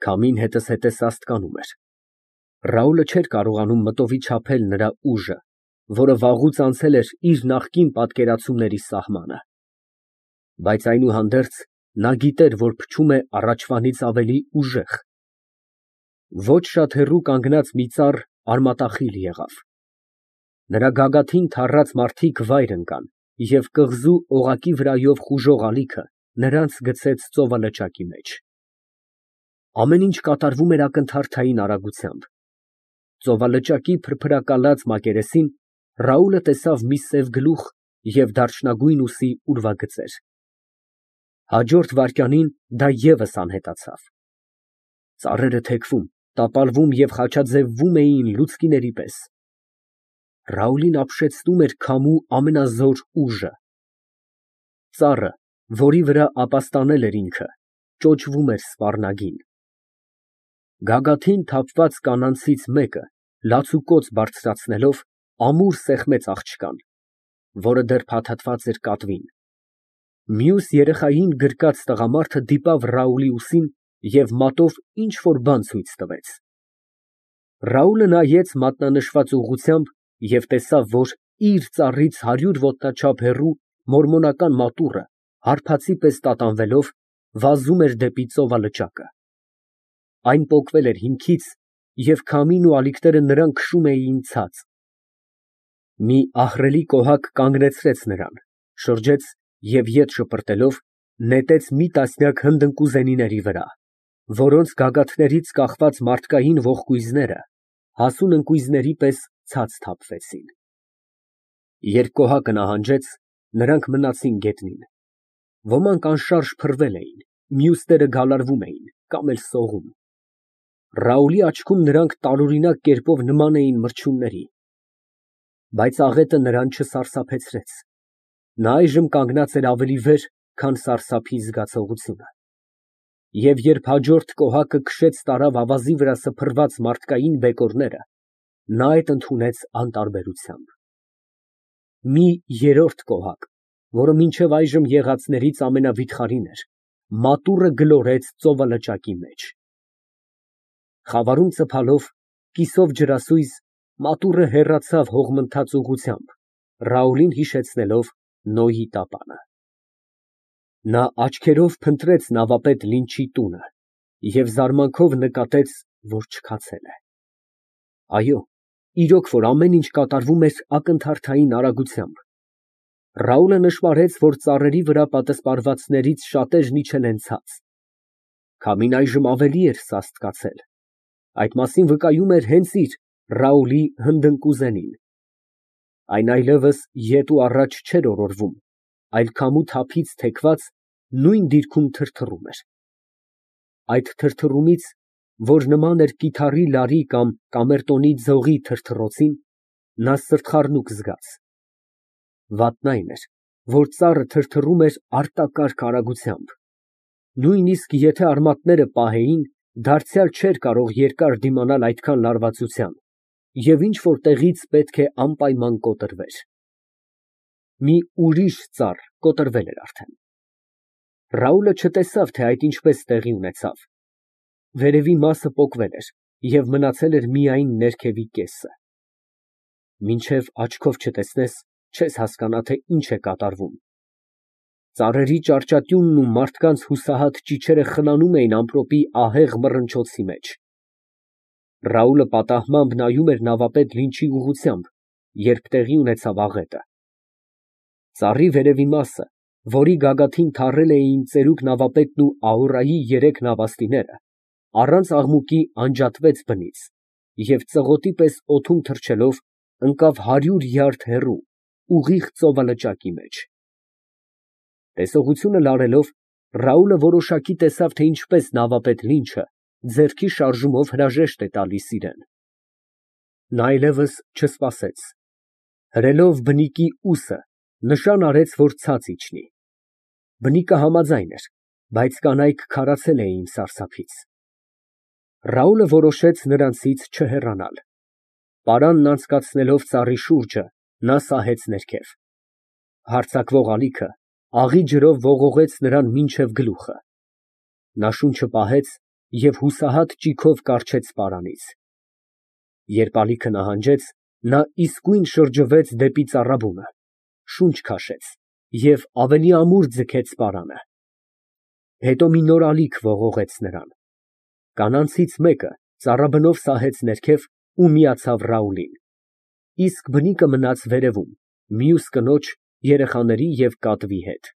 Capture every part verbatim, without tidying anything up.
Քամին հետզհետե սաստկանում էր։ Ռաուլը չէր կարողանում մտովի չափել նրա ուժը, որը վաղուց անցել էր իր նախկին պատկերացումների սահմանը։ Բայց այնուհանդերձ, նա գիտեր, որ փչում է առաջվանից ավելի ուժեղ։ Ոչ շատ հեռու կանգնած մի ծառ արմատախիլ եղավ։ Նրա գագաթին թառած մարդիկ վայր ընկան, և կղզու օղակի վրայով խուժող ալիքը նրանց գցեց ծովալճակի մեջ։ Ամեն ինչ կատարվում էր ակնթարթային արագությամբ։ Ծովալճակի փրփրակալած մակերեսին Ռաուլը տեսավ մի սև գլուխ և դարչնագույն ուսի ուրվագծեր։ Հաջորդ վայրկյանին դա ևս անհետացավ։ Ծառերը թեքվում, տապալվում և խաչաձևվում էին լուցկիների պես։ Ռաուլին ապշեցնում էր քամու ամենազոր ուժը։ Ծառը, որի վրա ապաստանել էր ինքը, ճոճվում էր սպառնագին։ Գագաթին թափված կանանցից մեկը, լացուկոծ բարձրացնելով, ամուր սեղմեց աղջկան, որը դեռ փաթաթված էր կատվին։ Մյուս երեխային գրկած տղամարդը դիպավ Ռաուլի ուսին և մատով ինչ֊որ բան ցույց տվեց։ Ռաուլը նայեց մատնանշված ուղղությամբ և տեսավ, որ իր ծառից հարյուր ոտնաչափ հեռու մորմոնական մատուռը, հարբածի պես տատանվելով, վազում էր դեպի ծովալճակը։ Այն պոկվել էր հիմքից, և քամին ու ալիքները նրան քշում էին ցած։ Մի ահռելի կոհակ կանգնեցրեց նրան, շրջեց և ետ շպրտելով, նետեց մի տասնյակ հնդընկուզենիների վրա, որոնց գագաթներից կախված մարդկային ողկույզները հասուն ընկույզների պես ցած թափվեցին։ Երբ կոհակը նահանջեց, նրանք մնացին գետնին։ Ոմանք անշարժ փռվել էին, մյուսները գալարվում էին կամ էլ սողում։ Ռաուլի աչքում նրանք տարօրինակ կերպով նման էին մրջյունների։ Բայց աղետը նրան չսարսափեցրեց։ Նա այժմ կանգնած էր ավելի վեր, քան սարսափի զգացողությունը։ Եվ երբ հաջորդ կոհակը քշեց տարավ ավազի վրա սփռված մարդկային բեկորները, նա այդ ընդունեց անտարբերությամբ։ Մի երրորդ կոհակ, որը մինչև այժմ եղածներից ամենավիթխարին էր, մատուռը գլորեց ծովալճակի մեջ։ Խավարում ծփալով, կիսով ջրասույզ, մատուռը հեռացավ հողմընթաց ուղղությամբ, Ռաուլին հիշեցնելով Նոյի տապանը։ Նա աչքերով փնտրեց նավապետ Լինչի տունը և զարմանքով նկատեց, որ չքացել է։ Այո, իրոք որ ամեն ինչ կատարվում էր ակնթարթային արագությամբ։ Ռաուլը նշմարեց, որ ծառերի վրա պատսպարվածներից շատերն իջել են ցած։ Քամին այժմ ավելի էր սաստկացել։ Այդ մասին վկայում էր հենց իր՝ Ռաուլի հնդընկուզենին։ Այն այլևս ետ ու առաջ չէր օրորվում, այլ քամու թափից թեքված, նույն դիրքում թրթռում էր։ Այդ թրթռումից, որ նման էր կիթառի լարի կամ կամերտոնի ձողի թրթռոցին, նա սրտխառնուկ զգաց։ Վատն այն էր, որ ծառը թրթռում էր արտակարգ արագությամբ։ Նույնիսկ եթե արմատները պահեին, դարձյալ չէր կարող երկար դիմանալ այդքան լարվածության, և ինչ֊որ տեղից պետք է անպայման կոտրվեր։ Մի ուրիշ ծառ կոտրվել էր արդեն։ Ռաուլը չտեսավ, թե այդ ինչպես տեղի ունեցավ։ Վերևի մասը պոկվել էր և մնացել էր միայն ներքևի կեսը։ Մինչև աչքով չտեսնես, չես հասկանա, թե ինչ է կատարվում։ Ծառերի ճարճատյունն ու մարդկանց հուսահատ ճիչերը խնամում էին ամպրոպի ահեղ մռնչոցի մեջ։ Ռաուլը պատահմամբ նայում էր նավապետ Լինչի ուղղությամբ, երբ տեղի ունեցավ աղետը։ Ծառի վերևի մասը, որի գագաթին թառել էին ծերուկ նավապետն ու Ահուրայի երեք նավաստիները, առանց աղմուկի անջատվեց բնից և ծղոտի պես օդում թռչելով ընկավ հարյուր յարդ հեռու, ուղիղ ծովալճակի մեջ։ Տեսողությունը լարելով, Ռաուլը որոշակի տեսավ, թե ինչպես նավապետ Լինչը ձեռքի շարժումով հրաժեշտ է տալիս իրան։ Նա այլևս չսպասեց։ Հրելով բնիկի ուսը, նշան արեց, որ ցած իջնի։ Բնիկը համաձայն էր, բայց կանայք քարացել էին սարսափից։ Ռաուլը որոշեց նրանցից չհեռանալ։ Պարանն անցկացնելով ծառի շուրջը, նա սահեց ներքև։ Հարձակվող ալիքը աղի ջրով ողողեց նրան մինչև գլուխը։ Նա շունչը պահեց և հուսահատ ճիգով կառչեց պարանից։ Երբ ալիքը նահանջեց, նա իսկույն շրջվեց դեպի ծառաբունը, շունչ քաշեց և ավելի ամուր ձգեց պարանը։ Հետո մի նոր ալիք ողողեց նրան։ Կանանցից մեկը ծառաբնով սահեց ներքև ու միացավ Ռաուլին, իսկ բնիկը մնաց վերևում, մյուս կնոջ, երեխաների և կատվի հետ։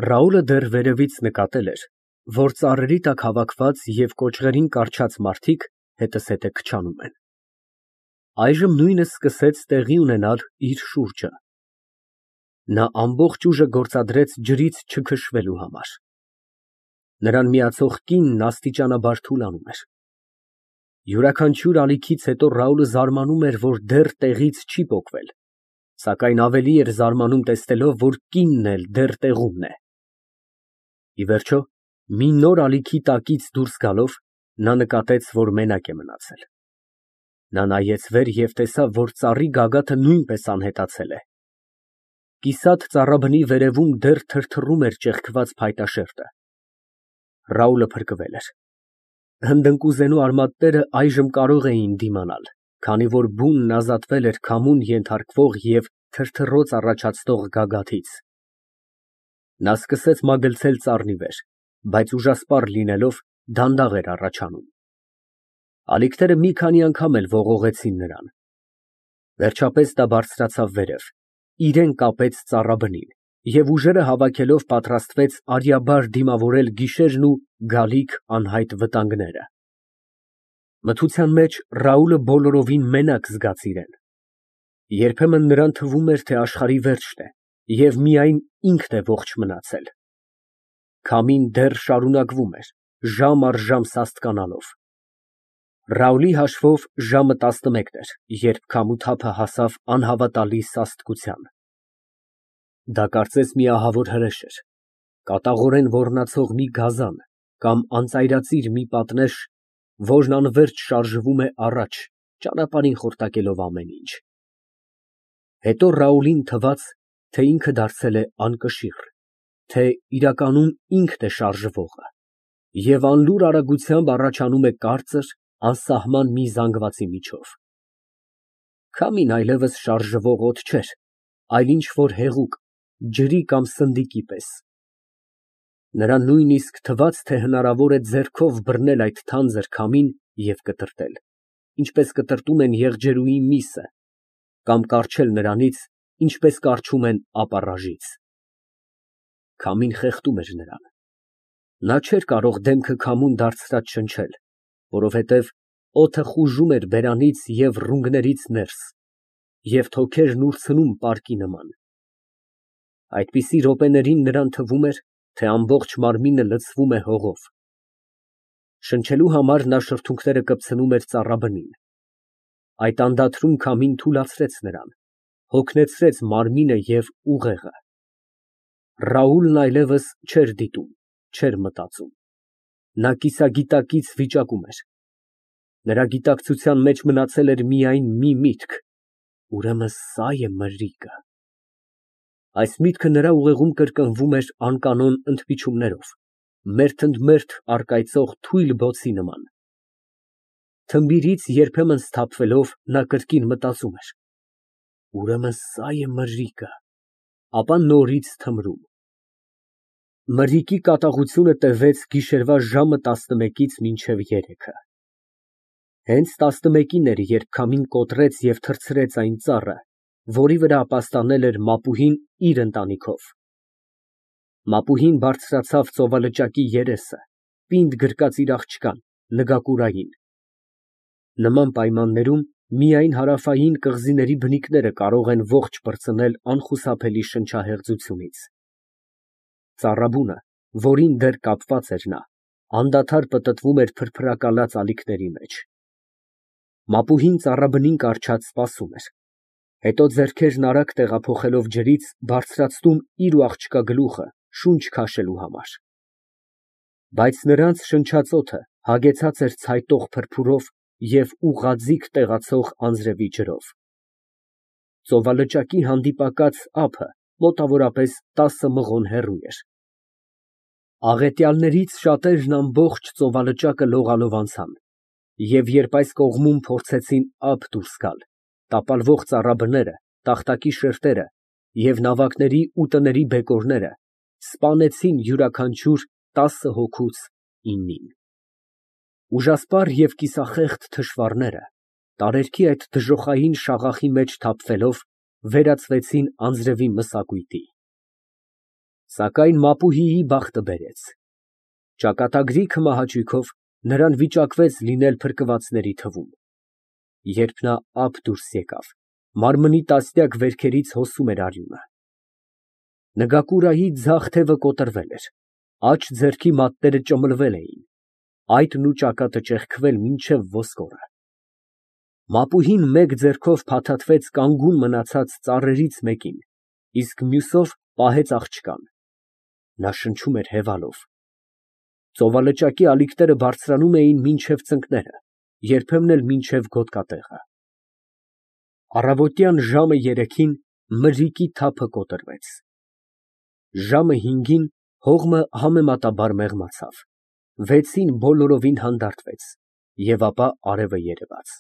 Ռաուլը դեռ վերևից նկատել էր, որ ծառերի տակ հավաքված և կոճղերին կառչած մարդիկ հետզհետե քչանում են։ Այժմ նույնը սկսեց տեղի ունենալ իր շուրջը։ Նա ամբողջ ուժը գործադրեց ջրից չքշվելու համար։ Նրան միացող կինն աստիճանաբար թուլանում էր։ Յուրաքանչյուր ալիքից հետո Ռաուլը զարմանում էր, որ դեռ տեղից չի պոկվել, սակայն ավելի էր զարմանում տեսնելով, որ կինն էլ դեռ տեղումն է։ Ի վերջո, մի նոր ալիքի տակից դուրս գալով, նա նկատեց, որ մենակ է մնացել։ Նա նայեց վեր և տեսավ, որ ծառի գագաթը նույնպես անհետացել է։ Կիսատ ծառաբնի վերևում դեռ թրթռում էր ճեղքված փայտաշերտը։ Ռաուլը փրկվել էր։ Հնդընկուզենու արմատները այժմ կարող էին դիմանալ, քանի որ բունն ազատվել էր քամուն ենթարկվող և թրթռոց առաջացնող գագաթից։ Նա սկսեց մագլցել ծառի վեր, բայց ուժասպառ լինելով, դանդաղ էր առաջանում։ Ալիքները մի քանի անգամ էլ ողողեցին նրան։ Վերջապես նա բարձրացավ վերև, իրան կապեց ծառաբնին և ուժերը հավաքելով պատրաստվեց արյաբար դիմավորել գիշերն ու գալիք անհայտ վտանգները։ Մթության մեջ Ռաուլը բոլորովին մենակ զգաց իրան։ Երբեմն նրան թվում էր, թե աշխարհի վերջն է և միայն ինքն է ողջ մնացել։ Քամին դեռ շարունակվում էր, ժամ առ ժամ սաստկանալով։ Ռաուլի հաշվով ժամը տասնմեկն էր, երբ քամու թափը հասավ անհավատալի սաստկության։ Դա կարծես մի ահավոր հրեշ էր, կատաղորեն ոռնացող մի գազան կամ անծայրածիր մի պատնեշ, որն անվերջ շարժվում է առաջ, ճանապարհին խորտակելով ամեն ինչ։ Հետո Ռաուլին թվաց, թե ինքը դարձել է անկշիռ, թե իրականում ինքն է շարժվողը և անլուր արագությամբ առաջանում է կարծր, անսահման մի զանգվածի միջով։ Քամին այլևս շարժվող օդ չէր, այլ ինչ֊որ հեղուկ, ջրի կամ սնդիկի պես։ Նրան նույնիսկ թվաց, թե հնարավոր է ձեռքով բռնել այդ թանձր քամին և կտրտել, ինչպես կտրտում են եղջերուի միսը, կամ կառչել նրանից, ինչպես կառչում են ապառաժից։ Քամին խեղդում էր նրան։ Նա չէր կարող դեմքը քամուն դարձրած շնչել, որովհետև օդը խուժում էր բերանից և ռունգներից ներս, և թոքերն ուրցնում պարկի նման։ Այդպիսի րոպեներին նրան թվում էր, թե ամբողջ մարմինը լցվում է հողով։ Շնչելու համար նա շրթունքները կպցնում էր ծառաբնին։ Այդ անդադարում քամին թուլացրեց նրան, հոգնեցրեց մարմինը և ուղեղը։ Ռաուլն այլևս չէր դիտում, չէր մտածում։ Նա կիսագիտակից վիճակում էր։ Նրա գիտակցության մեջ մնացել էր միայն մի միտք. ուրեմն սա է մրրիկը։ Այս միտքը նրա ուղեղում կրկնվում էր անկանոն ընդմիջումներով, մերթ ընդ մերթ առկայծող թույլ բոցի նման։ Թմբիրից երբեմն սթափվելով, նա կրկին մտածում էր. ուրեմն սա է մրրիկը, ապա նորից թմրում։ Մրրիկի կատաղությունը տևեց գիշերվա ժամը տասնմեկից մինչև երեքը։ Հենց տասնմեկին էր, երբ քամին կոտրեց և թռցրեց այն ծառը, որի վրա ապաստանել էր մապուհին իր ընտանիքով։ Մապուհին բարձրացավ ծովալճակի երեսը, պինդ գրկած իր աղջկան, նգակուրային։ Նման պայմաններում միայն հարավային կղզիների բնիկները կարող են ողջ պրծնել անխուսափելի շնչահեղձությունից։ Ծառաբունը, որին դեռ կապված էր նա, անդադար պտտվում էր փրփրակալած ալիքների մեջ։ Մապուհին ծառաբնին կառչած սպասում էր, հետո ձեռքերն արագ տեղափոխելով ջրից, բարձրացնում իր ու աղջկա գլուխը շունչ քաշելու համար։ Բայց նրանց շնչածոթը հագեցած էր ցայտող փրփուրով և ուղղաձիգ տեղացող անձրևի ջրով։ Ծովալճակի հանդիպակաց ափը մոտավորապես տասը մղոն հեռու էր։ Աղետյալներից շատերն ամբողջ ծովալճակը լողալով անցան, և երբ այս կողմում փորձեցին ափ դուրս գալ, տապալվող ծառաբները, տախտակի շերտերը և նավակների ու տների բեկորները սպանեցին յուրաքանչյուր տասը հոգուց իննին։ Ուժասպառ և կիսախեղճ թշվառները, տարերքի այդ դժոխային շաղախի մեջ թափվելով, վերածվեցին անձրևի մսակույտի։ Սակայն Մապուհիի բախտը բերեց. ճակատագրի քմահաճույքով նրան վիճակվեց լինել փրկվածների թվում։ Երբ նա ափ դուրս եկավ, մարմնի տասնյակ վերքերից հոսում էր արյունը։ Նգակուրայի ձախ թևը կոտրվել էր, աջ ձեռքի մատները ճմլվել էին, այտն ու ճակատը ճեղքվել մինչև ոսկորը։ Մապուհին մեկ ձեռքով փաթաթվեց կանգուն մնացած ծառերից մեկին, իսկ մյուսով պահեց աղջկան։ Նա շնչում էր հևալով։ Ծովալճակի ալիքները բարձրանում էին մինչև ծնկները, երբեմն էլ մինչև գոտկատեղը։ Առավոտյան ժամը երեքին մրրիկի թափը կոտրվեց։ Ժամը հինգին հողմը համեմատաբար մեղմացավ, վեցին բոլորովին հանդարտվեց, և ապա արևը երևաց։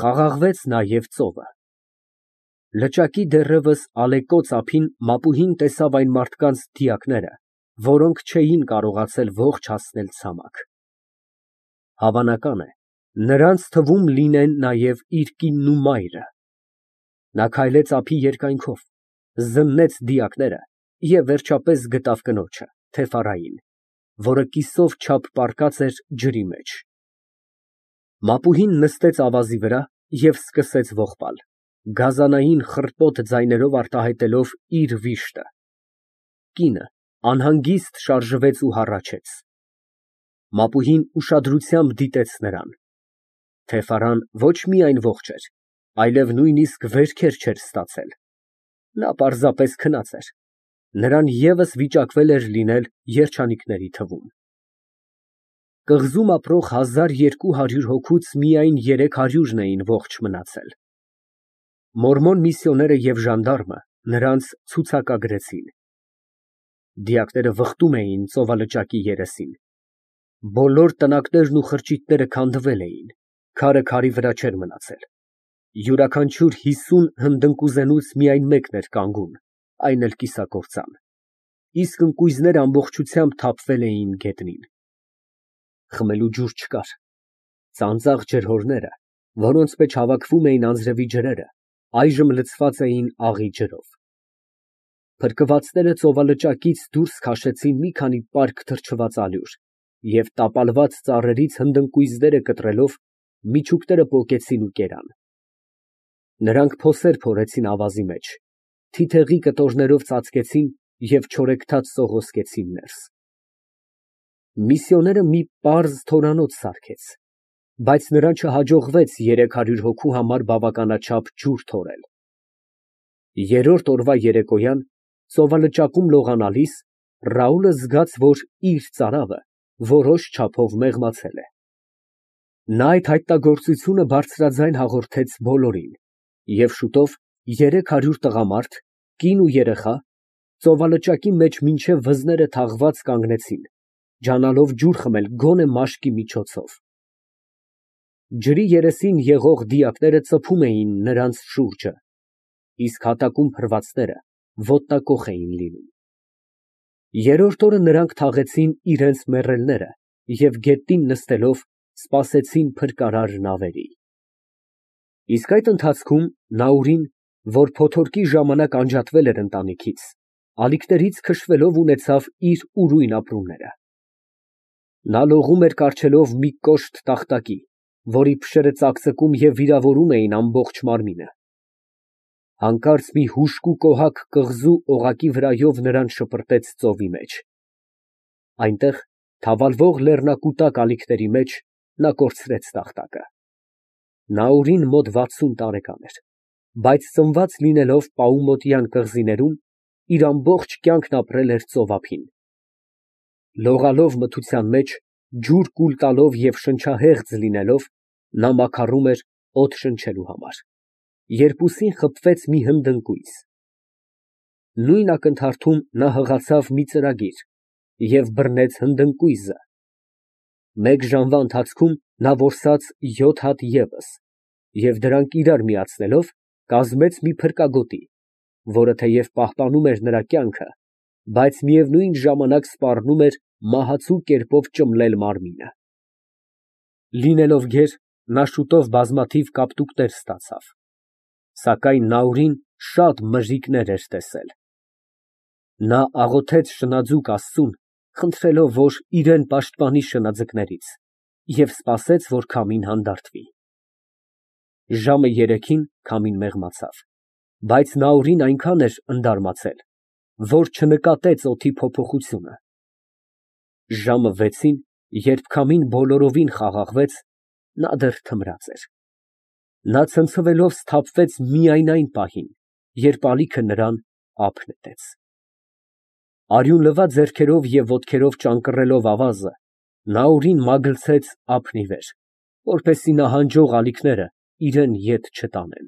Խաղաղվեց նաև ծովը։ Լճակի դեռևս ալեկոծ ափին Մապուհին տեսավ այն մարդկանց դիակները, որոնք չէին կարողացել ողջ հասնել ցամաք։ Հավանական է, նրանց թվում լինեն նաև իր կինն ու մայրը։ Նա քայլեց ափի երկայնքով, զննեց դիակները և վերջապես գտավ կնոջը, թեֆառային, որը կիսով չափ պառկած էր ջրի մեջ։ Մապուհին նստեց ավազի վրա և սկսեց ողբալ, գազանային խռպոտ ձայներով արտահայտելով իր վիշտը։ Կինը անհանգիստ շարժվեց ու հառաչեց։ Մապուհին ուշադրությամբ դիտեց նրան։ Թեֆառան ոչ միայն ողջ էր, այլև նույնիսկ վերքեր չէր ստացել։ Նա պարզապես քնած էր, նրան ևս վիճակվել էր լինել երջանիկների թվում։ Կղզում ապրող հազար երկու հարյուր հոգուց միայն երեք հարյուրն էին ողջ մնացել։ Մորմոն միսիոները և ժանդարմը նրանց ցուցակագրեցին։ Դիակները վխտում էին ծովալճակի երեսին։ Բոլոր տնակներն ու խրճիթները քանդվել էին, քարը քարի վրա չէր մնացել։ Յուրաքանչյուր հիսուն հնդընկուզենուց միայն մեկն էր կանգուն, այն էլ կիսակործան, իսկ ընկույզները ամբողջությամբ թափվել էին գետնին։ Խմելու ջուր չկար։ Ծանծաղ ջրհորները, որոնց մեջ հավաքվում էին անձրևի ջրերը, այժմ լցված էին աղի ջրով։ Փրկվածները ծովալճակից դուրս քաշեցին մի քանի պարկ թրջված ալյուր և տապալված ծառերից հնդընկույզները կտրելով, միջուկները պոկեցին ու կերան։ Նրանք փոսեր փորեցին ավազի մեջ, թիթեղի կտորներով ծածկեցին և չորեքթաթ սողոսկեցին ներս։ Միսիոները մի պարզ թորանոց սարքեց, բայց նրան չհաջողվեց երեք հարյուր հոգու համար բավականաչափ ջուր թորել։ Երրորդ օրվա երեկոյան ծովալճակում լողանալիս Ռաուլը զգաց, որ իր ծարավը որոշ չափով մեղմացել է։ Նա այդ հայտնագործությունը բարձրաձայն հաղորդեց բոլորին, և շուտով երեք հարյուր տղամարդ, կին ու երեխա, ծովալճակի մեջ մինչև վզները թաղված կանգնեցին, ջանալով ջուր խմել գոնե մաշկի միջոցով։ Ջրի երեսին եղող դիակները ծփում էին նրանց շուրջը, իսկ հատակում փռվածները ոտնակոխ էին լինում։ Երրորդ օրը նրանք թաղեցին իրենց մեռելները և գետնին նստելով սպասեցին փրկարար նավերի։ Իսկ այդ ընթացքում Նաուրին, որ փոթորկի ժամանակ անջատվել էր ընտանիքից, ալիքներից քշվելով ունեցավ իր ուրույն ապրումները։ Նա լողում էր կառչելով մի կոշտ տախտակի, որի փշերը ծակծկում և վիրավորում էին ամբողջ մարմինը։ Հանկարծ մի հուժկու կոհակ կղզու օղակի վրայով նրան շպրտեց ծովի մեջ։ Այնտեղ, թավալվող լեռնակուտակ ալիքների մեջ, նա կորցրեց տախտակը։ Նաուրին մոտ վաթսուն տարեկան էր, բայց ծնված լինելով Պաումոտյան կղզիներում, իր ամբողջ կյանքն ապրել էր ծով ափին։ Լողալով մթության մեջ, ջուր կուլ տալով և շնչահեղձ լինելով, նա մաքարում էր օդ շնչելու համար, երբ ուսին խփվեց մի հնդընկույզ։ Նույն ակնթարթում նա հղացավ մի ծրագիր, և բռնեց հնդընկույզը։ Մեկ ժամվա ընթացքում նա որսաց յոթ հատ ևս և դրանք իրար միացնելով, կազմեց մի փրկագոտի, որը թեև պահպանում էր նրա կյանքը, բայց միևնույն ժամանակ սպառնում էր մահացու կերպով ճմլել մարմինը։ Լինելով գեր, նա շուտով բազմաթիվ կապտուկներ ստացավ, սակայն Նաուրին շատ մժիկներ էր տեսել։ Նա աղոթեց շնաձուկ Աստծուն, խնդրելով, որ իրան պաշտպանի շնաձկներից, և սպասեց, որ քամին հանդարտվի։ Ժամը երեքին քամին մեղմացավ, բայց Նաուրին այնքան էր ընդարմացել, որ չնկատեց օդի փոփոխությունը։ Ժամը վեցին, երբ քամին բոլորովին խաղաղվեց, նա դեռ թմրած էր։ Նա ցնցվելով սթափվեց միայն այն պահին, երբ ալիքը նրան ափ նետեց։ Արյունլվա ձեռքերով և ոտքերով ճանկռելով ավազը, Նաուրին մագլցեց ափն ի վեր, որպեսզի նահանջող ալիքները իրան ետ չտանեն։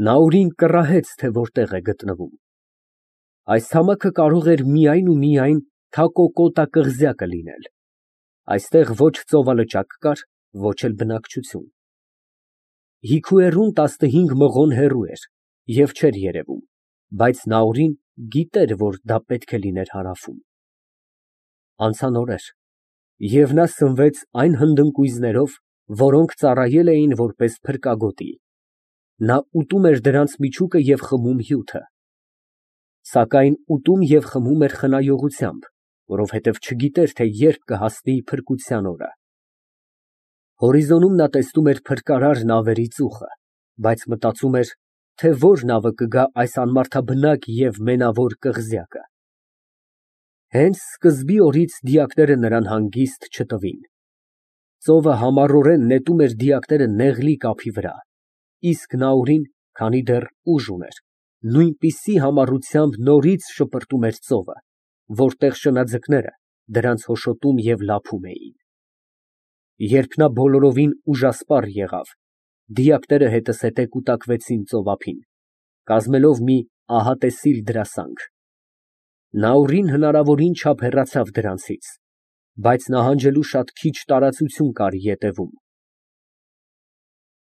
Նաուրին կռահեց, թե որտեղ է գտնվում։ Այս ցամաքը կարող էր միայն ու միայն Թակոկոտա կղզյակը լինել։ Այստեղ ոչ ծովալճակ կար, ոչ էլ բնակչություն։ Հիքուեռուն տասնհինգ մղոն հեռու էր և չէր երևում, բայց Նաուրին գիտեր, որ դա պետք է լիներ հարավում։ Անցան օրեր, և նա սնվեց այն հնդընկույզներով, որոնք ծառայել էին որպես փրկագոտի, նա ուտում էր դրանց միջուկը և խմում հյութը։ Սակայն ուտում և խմում էր խնայողությամբ, որովհետև չգիտեր, թե երբ կհասնի փրկության օրը։ Հորիզոնում նա տեսնում էր փրկարար նավերի ծուխը, բայց մտածում էր, թե որ նավը կգա այս անմարդաբնակ և մենավոր կղզյակը։ Հենց սկզբի օրից դիակները նրան հանգիստ չտվին։ Ծովը համառորեն նետում էր դիակները նեղլիկ ափի վրա, իսկ Նաուրին, քանի դեռ ուժ ուներ, նույնպիսի համառությամբ նորից շպրտում էր ծովը, որտեղ շնաձկները դրանց հոշոտում և լափում էին։ Երբ նա բոլորովին ուժասպառ եղավ, դիակները հետզհետե կուտակվեցին ծովափին, կազմելով մի ահատեսիլ դրասանգ։ Նաուրին հնարավորին չափ հեռացավ դրանցից, բայց նահանջելու շատ քիչ տարածություն կար ետևում։